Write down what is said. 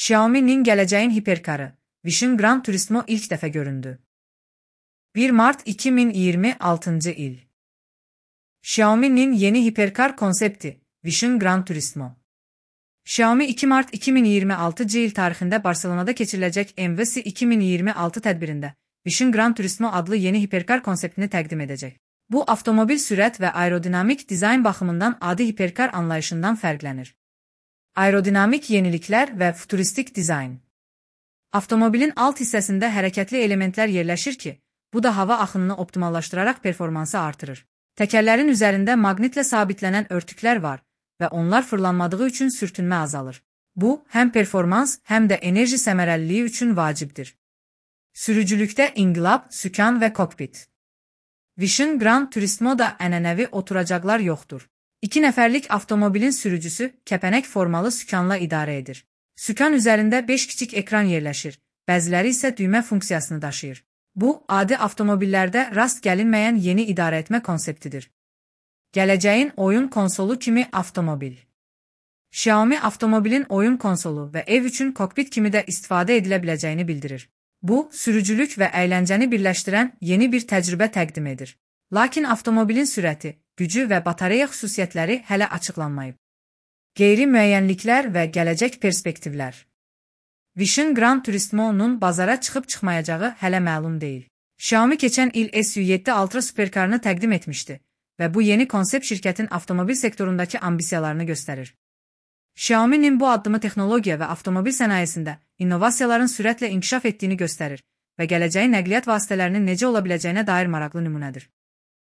Xiaomi'nin gələcəyin hiperkarı, Vision Gran Turismo ilk dəfə göründü. 1 Mart 2026 il. Xiaomi'nin yeni hiperkar konsepti, Vision Gran Turismo. Xiaomi 2 Mart 2026 il tarixində Barcelonada keçiriləcək MWC 2026 tədbirində Vision Gran Turismo adlı yeni hiperkar konseptini təqdim edəcək. Bu, avtomobil sürət və aerodinamik dizayn baxımından adi hiperkar anlayışından fərqlənir. Aerodinamik yeniliklər və futuristik dizayn. Avtomobilin alt hissəsində hərəkətli elementlər yerləşir ki, bu da hava axınını optimallaşdıraraq performansı artırır. Təkərlərin üzərində maqnitlə sabitlənən örtüklər var və onlar fırlanmadığı üçün sürtünmə azalır. Bu, həm performans, həm də enerji səmərəliliyi üçün vacibdir. Sürücülükdə inqilab, sükan və kokpit. Vision Gran Turismo'da ənənəvi oturacaqlar yoxdur. 2 nəfərlik avtomobilin sürücüsü kəpənək formalı sükanla idarə edir. Sükan üzərində 5 kiçik ekran yerləşir, bəziləri isə düymə funksiyasını daşıyır. Bu, adi avtomobillərdə rast gəlinməyən yeni idarəetmə konseptidir. Gələcəyin oyun konsolu kimi avtomobil. Xiaomi avtomobilin oyun konsolu və ev üçün kokpit kimi də istifadə edilə biləcəyini bildirir. Bu, sürücülük və əyləncəni birləşdirən yeni bir təcrübə təqdim edir. Lakin avtomobilin sürəti, gücü və batareya xüsusiyyətləri hələ açıqlanmayıb. Qeyri-müəyyənliklər və gələcək perspektivlər. Vision Gran Turismo'nun bazara çıxıb-çıxmayacağı hələ məlum deyil. Xiaomi keçən il SU7 Ultra superkarını təqdim etmişdi və bu yeni konsept şirkətin avtomobil sektorundakı ambisiyalarını göstərir. Xiaomi'nin bu addımı texnologiya və avtomobil sənayesində innovasiyaların sürətlə inkişaf etdiyini göstərir və gələcəyin nəqliyyat vasitələrinin necə ola biləcəyinə dair maraqlı nümunədir.